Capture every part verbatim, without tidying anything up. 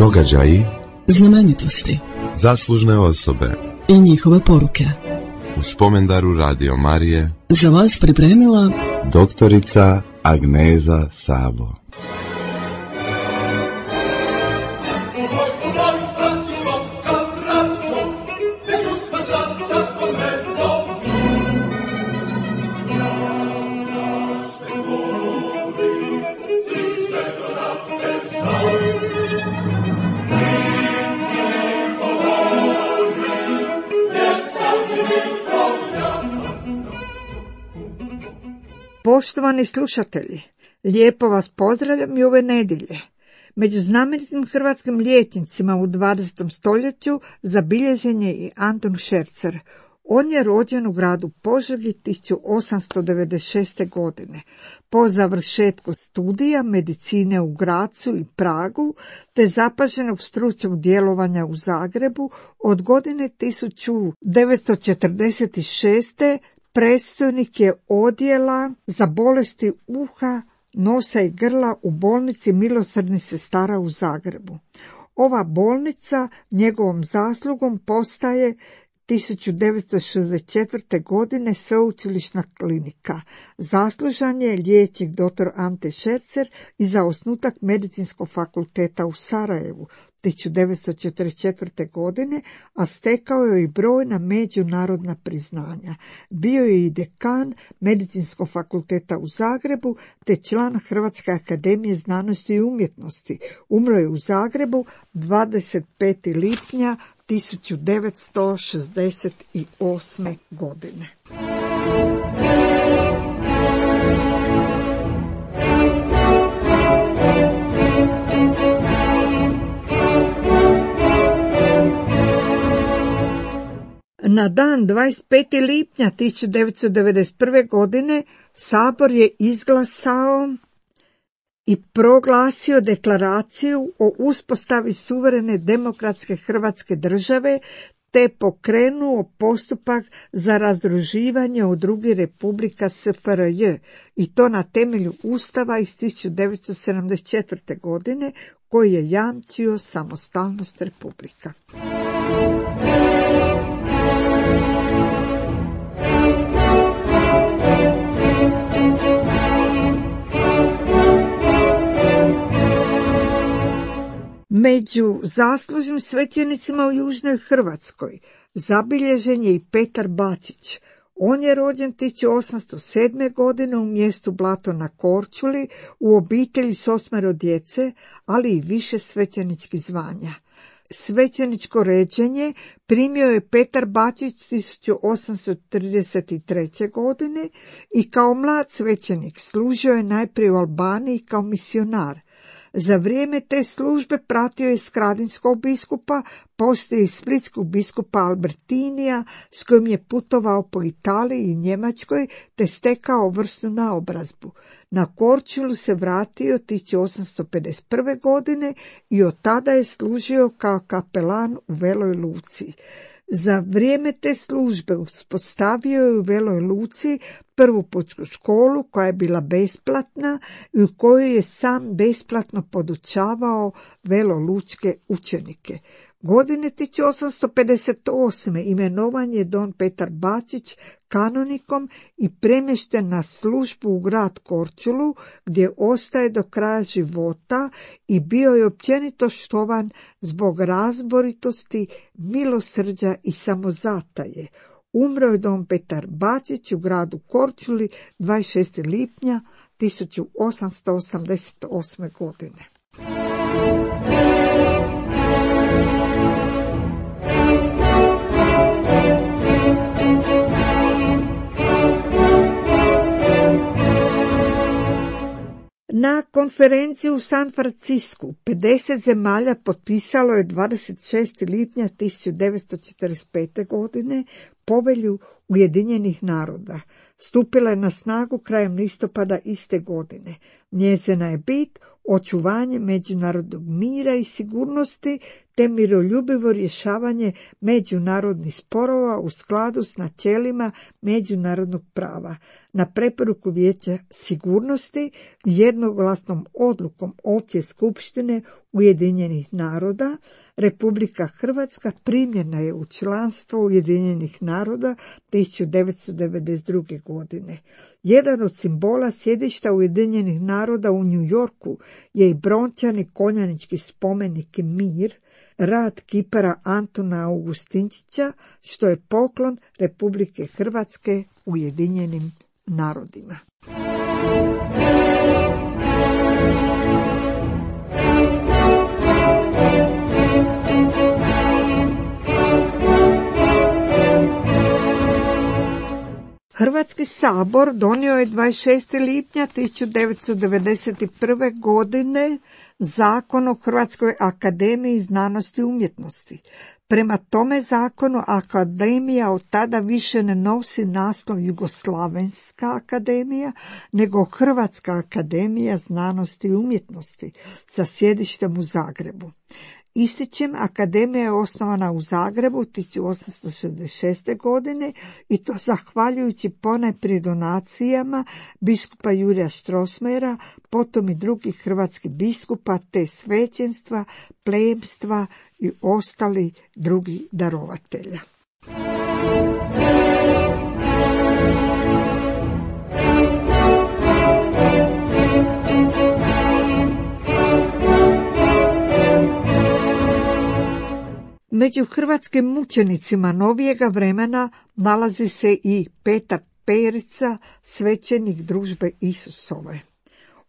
Događaji, znamenitosti, zaslužne osobe i njihove poruke. U spomendaru Radio Marije Za vas pripremila doktorica Agneza Sabo. Poštovani slušatelji, lijepo vas pozdravljam i ove nedjelje. Među znamenitim hrvatskim liječnicima u dvadesetom stoljeću zabilježen je i Anton Šercer. On je rođen u gradu Požegi tisuću osamsto devedeset šeste. godine. Po završetku studija medicine u Grazu i Pragu, te zapaženog stručnog djelovanja u Zagrebu, od godine tisuću devetsto četrdeset šeste. predstojnik je odjela za bolesti uha, nosa i grla u bolnici Milosrdnih sestara u Zagrebu. Ova bolnica njegovom zaslugom postaje tisuću devetsto šezdeset četvrte. godine sveučilišna klinika. Zaslužan je liječnik doktor Ante Šercer i za osnutak Medicinskog fakulteta u Sarajevu tisuću devetsto četrdeset četvrte. godine, a stekao je i brojna međunarodna priznanja. Bio je i dekan Medicinskog fakulteta u Zagrebu te član Hrvatske akademije znanosti i umjetnosti. Umro je u Zagrebu dvadeset petog lipnja tisuću devetsto šezdeset osme. godine. Na dan dvadeset petog lipnja tisuću devetsto devedeset prve. godine Sabor je izglasao i proglasio deklaraciju o uspostavi suverene demokratske Hrvatske države te pokrenuo postupak za razdruživanje od drugih republika S F R J i to na temelju Ustava iz tisuću devetsto sedamdeset četvrte. godine koji je jamčio samostalnost republika. Među zaslužnim svećenicima u Južnoj Hrvatskoj zabilježen je i Petar Bačić. On je rođen tisuću osamsto sedme. godine u mjestu Blato na Korčuli u obitelji s osmero djece, ali i više svećeničkih zvanja. Svećeničko ređenje primio je Petar Bačić tisuću osamsto trideset treće. godine i kao mlad svećenik služio je najprije u Albaniji kao misionar. Za vrijeme te službe pratio je skradinskog biskupa, poslije i splitskog biskupa Albertinija, s kojim je putovao po Italiji i Njemačkoj, te stekao vrsnu naobrazbu. Na Korčulu se vratio tisuću osamsto pedeset prve. godine i od tada je služio kao kapelan u Veloj Luci. Za vrijeme te službe uspostavio je u Veloj Luci prvu pučku školu koja je bila besplatna i u kojoj je sam besplatno podučavao velolučke učenike. Godine tisuću osamsto pedeset osme. imenovan je don Petar Bačić kanonikom i premješten na službu u grad Korčulu, gdje ostaje do kraja života i bio je općenito štovan zbog razboritosti, milosrđa i samozataje. Umro je don Petar Bačić u gradu Korčuli dvadeset šestog lipnja tisuću osamsto osamdeset osme. godine. Na konferenciji u San Francisku pedeset zemalja potpisalo je dvadeset šestog lipnja tisuću devetsto četrdeset pete. godine Povelju Ujedinjenih naroda. Stupila je na snagu krajem listopada iste godine. Njezina je bit očuvanje međunarodnog mira i sigurnosti te miroljubivo rješavanje međunarodnih sporova u skladu s načelima međunarodnog prava. Na preporuku Vijeća sigurnosti jednoglasnom odlukom Opće skupštine Ujedinjenih naroda Republika Hrvatska primljena je u članstvo Ujedinjenih naroda tisuću devetsto devedeset druge. godine. Jedan od simbola sjedišta Ujedinjenih naroda u New Yorku je i brončani konjanički spomenik Mir, rad kipara Antuna Augustinčića, što je poklon Republike Hrvatske Ujedinjenim narodima. Hrvatski sabor donio je dvadeset šestog lipnja tisuću devetsto devedeset prve. godine Zakon o Hrvatskoj akademiji znanosti i umjetnosti. Prema tome zakonu akademija od tada više ne nosi naslov Jugoslavenska akademija, nego Hrvatska akademija znanosti i umjetnosti sa sjedištem u Zagrebu. Ističem, akademija je osnovana u Zagrebu tisuću osamsto šezdeset šeste. godine i to zahvaljujući ponajprije donacijama biskupa Jurija Strossmayera, potom i drugih hrvatskih biskupa te svećenstva, plemstva i ostali drugi darovatelja. Među hrvatskim mučenicima novijega vremena nalazi se i Petar Perica, svećenik Družbe Isusove.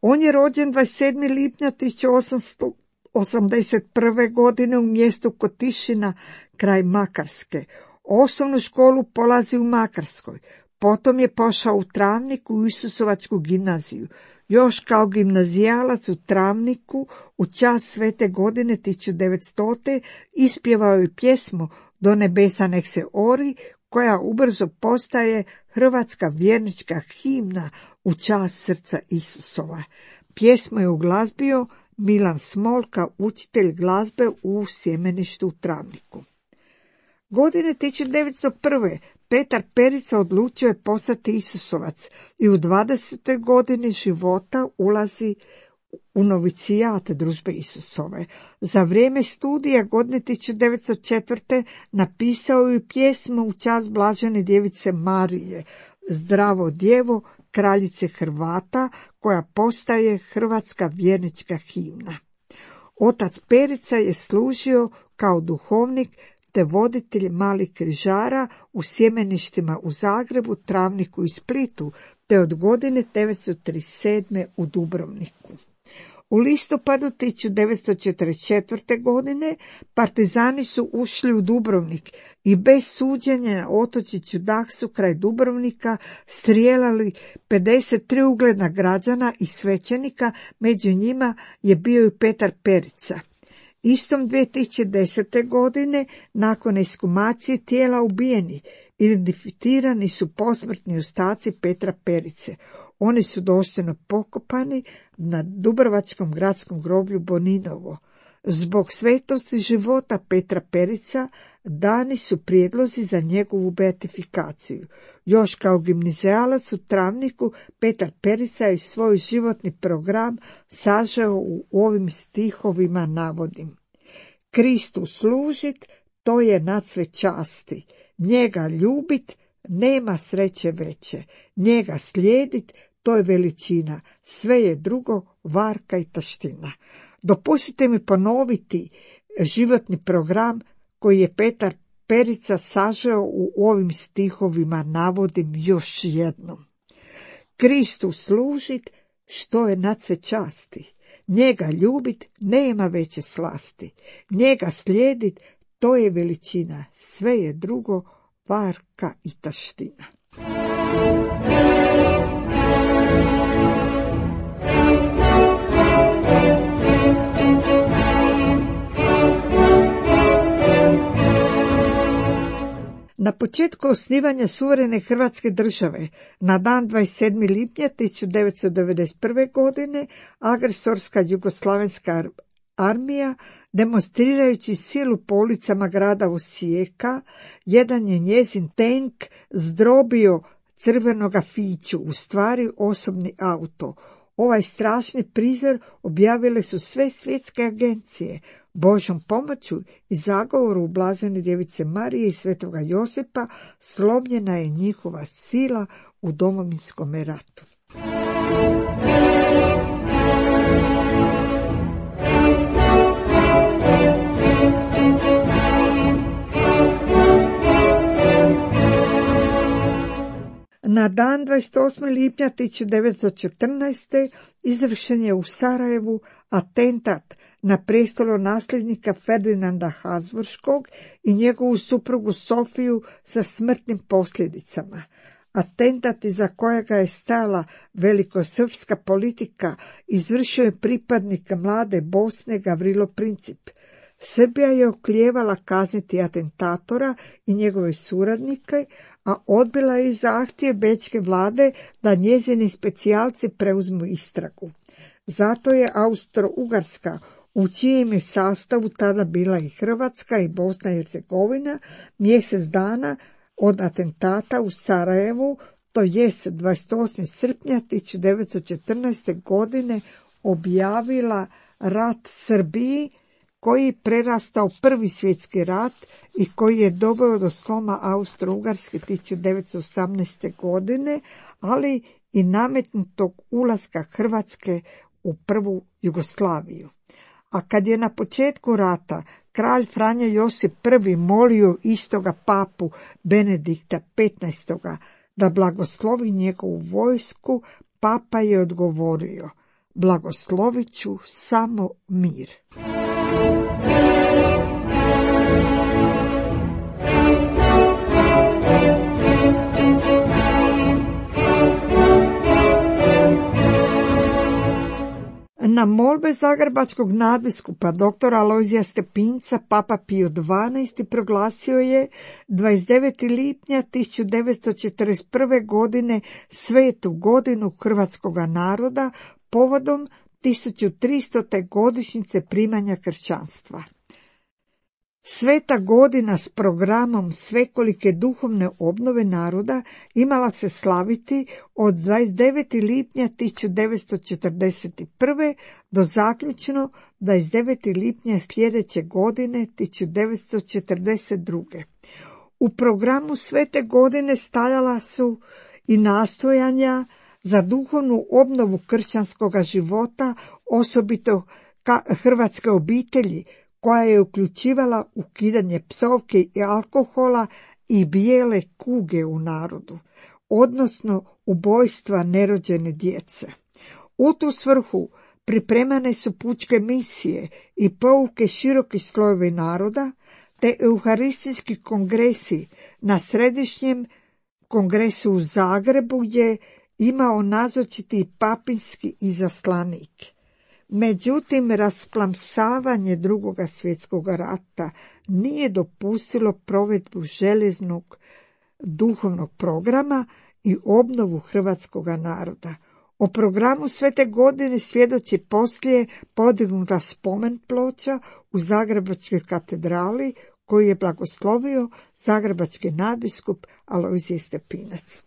On je rođen dvadeset sedmog lipnja tisuću osamsto osamdeset prve. godine u mjestu Kotišina kraj Makarske. Osnovnu školu polazi u Makarskoj. Potom je pošao u Travniku u Isusovačku gimnaziju. Još kao gimnazijalac u Travniku u čast svete godine tisuću devetstote. ispjevao je pjesmu Do nebesa nek se ori, koja ubrzo postaje hrvatska vjernička himna u čast srca Isusova. Pjesmu je uglazbio Milan Smolka, učitelj glazbe u Sjemeništu u Travniku. Godine tisuću devetsto prve. Petar Perica odlučio je postati Isusovac i u dvadesetoj godini života ulazi u novicijat Družbe Isusove. Za vrijeme studija godine tisuću devetsto četvrte. napisao je pjesmu u čast Blažene djevice Marije, Zdravo djevo, kraljice Hrvata, koja postaje hrvatska vjernička himna. Otac Perica je služio kao duhovnik te voditelj malih križara u sjemeništima u Zagrebu, Travniku i Splitu, te od godine devetsto trideset sedme. u Dubrovniku. U listopadu tisuću devetsto četrdeset četvrte. godine partizani su ušli u Dubrovnik i bez suđenja na otočiću Daksu kraj Dubrovnika strijelali pedeset tri ugledna građana i svećenika, među njima je bio i Petar Perica. Istom dvije tisuće desete. godine, nakon ekshumacije tijela ubijenih, identificirani su posmrtni ostaci Petra Perice. Oni su dostojno pokopani na Dubrovačkom gradskom groblju Boninovo. Zbog svetosti života Petra Perica dani su prijedlozi za njegovu beatifikaciju. Još kao gimnazijalac u Travniku, Petar Perica je svoj životni program sažeo u ovim stihovima navodim. Kristu služit, to je nad sve časti. Njega ljubit, nema sreće veće. Njega slijedit, to je veličina. Sve je drugo varka i taština. Dopustite mi ponoviti životni program koji je Petar Perica sažeo u ovim stihovima, navodim još jednom. Kristu služit, što je nad sve časti. Njega ljubit, nema veće slasti. Njega slijedit, to je veličina. Sve je drugo varka i taština. Na početku osnivanja suverene Hrvatske države, na dan dvadeset sedmog lipnja tisuću devetsto devedeset prve. godine, agresorska jugoslavenska armija Demonstrirajući silu po ulicama grada Osijeka, jedan je njezin tank zdrobio crvenoga Fiću, u stvari osobni auto. Ovaj strašni prizor objavile su sve svjetske agencije. Božjom pomoću i zagovoru Blažene djevice Marije i Svetoga Josipa slomljena je njihova sila u Domovinskom ratu. Na dan dvadeset osmog lipnja tisuću devetsto četrnaeste. izvršen je u Sarajevu atentat na prestolonasljednika Ferdinanda Habsburškog i njegovu suprugu Sofiju sa smrtnim posljedicama. Atentat iza kojega je stajala velikosrpska politika izvršio je pripadnik mlade Bosne Gavrilo Princip. Srbija je oklijevala kazniti atentatora i njegove suradnike, a odbila je zahtjev bečke vlade da njezini specijalci preuzmu istragu. Zato je Austro-Ugarska, u čijem je sastavu tada bila i Hrvatska i Bosna i Hercegovina, mjesec dana od atentata u Sarajevu, to jest dvadeset osmog srpnja tisuću devetsto četrnaeste. godine, objavila rat Srbiji, koji je prerastao prvi svjetski rat i koji je doveo do sloma Austro-Ugarske tisuću devetsto osamnaeste. godine, ali i nametnutog ulaska Hrvatske u prvu Jugoslaviju. A kad je na početku rata kralj Franja Josip prvi molio istoga papu Benedikta petnaestog. da blagoslovi njegovu vojsku, papa je odgovorio: blagoslovit ću samo mir. Na molbe zagrebačkog nadbiskupa doktora Alojzija Stepinca, papa Pio dvanaesti. proglasio je dvadeset devetog lipnja tisuću devetsto četrdeset prve. godine svetu godinu hrvatskog naroda povodom tisuću tristote. godišnjice primanja kršćanstva. Sveta godina s programom svekolike duhovne obnove naroda imala se slaviti od dvadeset devetog lipnja tisuću devetsto četrdeset prve. do zaključno dvadeset devetog lipnja sljedeće godine tisuću devetsto četrdeset druge. U programu svete godine stajala su i nastojanja za duhovnu obnovu kršćanskog života, osobito hrvatske obitelji, koja je uključivala ukidanje psovke i alkohola i bijele kuge u narodu, odnosno ubojstva nerođene djece. U tu svrhu pripremane su pučke misije i pouke široki slojevi naroda, te euharistički kongresi. Na središnjem kongresu u Zagrebu je imao nazočiti papinski izaslanik. Međutim, rasplamsavanje drugoga svjetskog rata nije dopustilo provedbu željeznog duhovnog programa i obnovu hrvatskog naroda. O programu svete godine svjedoči poslije podignuta spomen ploča u Zagrebačkoj katedrali, koju je blagoslovio zagrebački nadbiskup Alojzije Stepinac.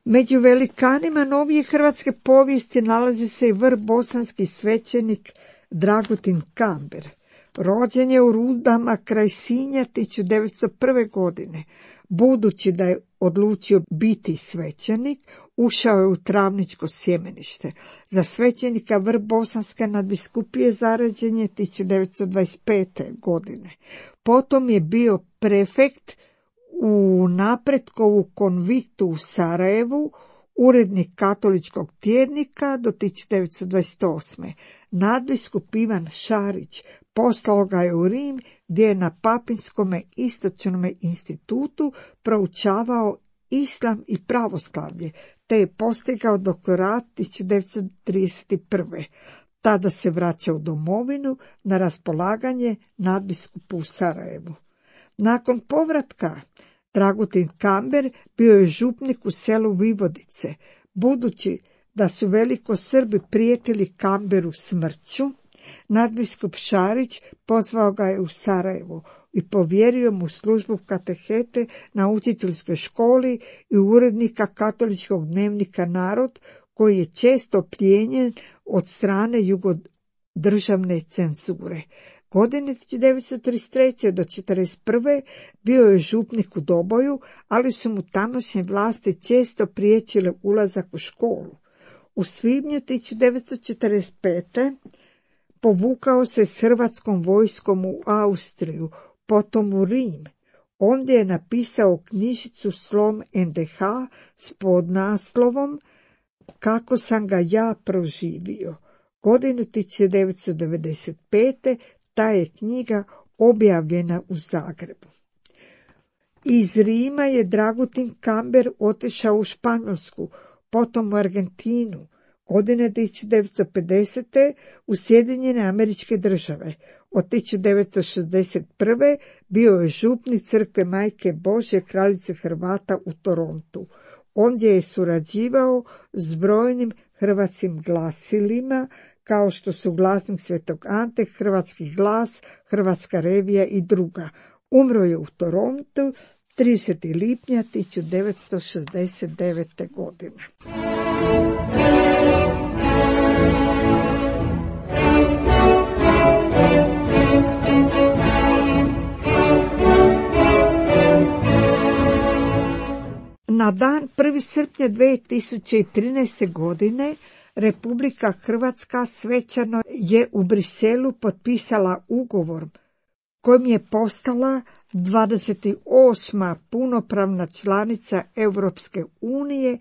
Među velikanima novije hrvatske povijesti nalazi se i vrh bosanski svećenik Dragutin Kamber. Rođen je u Rudama kraj Sinja tisuću devetsto prve. godine. Budući da je odlučio biti svećenik, ušao je u travničko sjemenište. Za svećenika vrh bosanske nadbiskupije zaređen je tisuću devetsto dvadeset pete. godine. Potom je bio prefekt u Napretkovu konviktu u Sarajevu, urednik katoličkog tjednika do tisuću devetsto dvadeset osme. Nadbiskup Ivan Šarić poslao ga je u Rim, gdje je na Papinskome istočnome institutu proučavao islam i pravoslavlje, te je postigao doktorat tisuću devetsto trideset prve. Tada se vraća u domovinu na raspolaganje nadbiskupu u Sarajevu. Nakon povratka Dragutin Kamber bio je župnik u selu Vivodice. Budući da su veliko Srbi prijetili Kamberu smrću, nadbiskup Šarić pozvao ga je u Sarajevo i povjerio mu službu katehete na učiteljskoj školi i urednika katoličkog dnevnika Narod, koji je često plijenjen od strane jugodržavne cenzure. Godine tisuću devetsto trideset treće do četrdeset prve bio je župnik u Doboju, ali su mu tamošnje vlasti često priječile ulazak u školu. U svibnju tisuću devetsto četrdeset pete povukao se s hrvatskom vojskom u Austriju, potom u Rim. Ondje je napisao knjižicu Slom en de ha s podnaslovom Kako sam ga ja proživio. Godinu tisuću devetsto devedeset pete ta je knjiga objavljena u Zagrebu. Iz Rima je Dragutin Kamber otišao u Španjolsku, potom u Argentinu. Godine tisuću devetsto pedesete u Sjedinjene Američke Države. Od tisuću devetsto šezdeset prve bio je župnik crkve Majke Božje kraljice Hrvata u Torontu. Ondje je surađivao s brojnim hrvatskim glasilima, kao što su Glasnik Svetog Ante, Hrvatski glas, Hrvatska revija i druga. Umro je u Torontu tridesetog lipnja tisuću devetsto šezdeset devete. godine. Na dan prvog srpnja dvije tisuće trinaeste. godine Republika Hrvatska svečano je u Briselu potpisala ugovor kojim je postala dvadeset osma punopravna članica Europske unije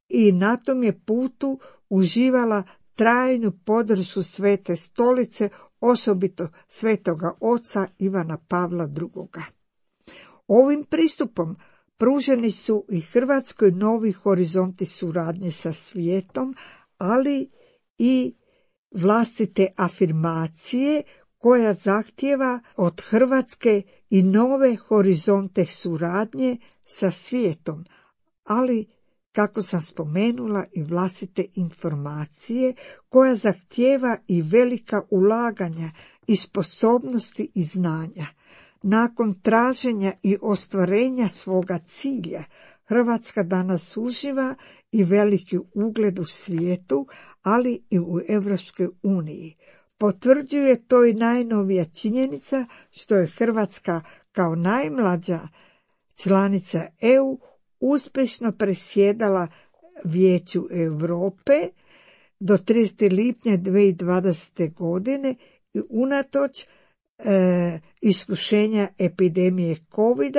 i na tom je putu uživala trajnu podršku Svete Stolice, osobito Svetoga Oca Ivana Pavla drugoga. Ovim pristupom pruženi su i Hrvatskoj novi horizonti suradnje sa svijetom, ali i vlastite afirmacije koja zahtijeva od Hrvatske i nove horizonte suradnje sa svijetom, ali, kako sam spomenula, i vlastite informacije koja zahtijeva i velika ulaganja i sposobnosti i znanja. Nakon traženja i ostvarenja svoga cilja, Hrvatska danas uživa i veliki ugled u svijetu, ali i u Europskoj uniji. Potvrđuje to i najnovija činjenica što je Hrvatska kao najmlađa članica E U uspješno presjedala Vijeću Europe do tridesetog lipnja dvije tisuće dvadesete. godine i unatoč e, iskušenja epidemije kovid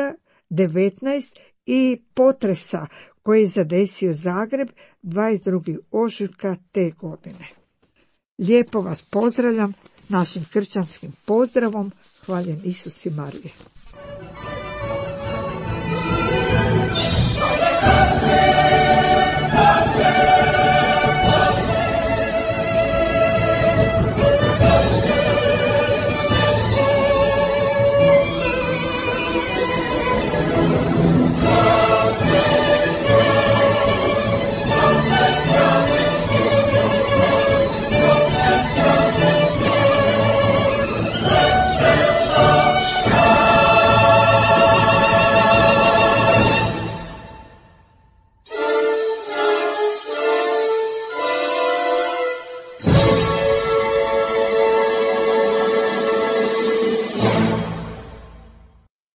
devetnaest i potresa koji je zadesio Zagreb dvadeset drugog ožujka te godine. Lijepo vas pozdravljam s našim kršćanskim pozdravom. Hvaljen Isus i Marije. Yeah.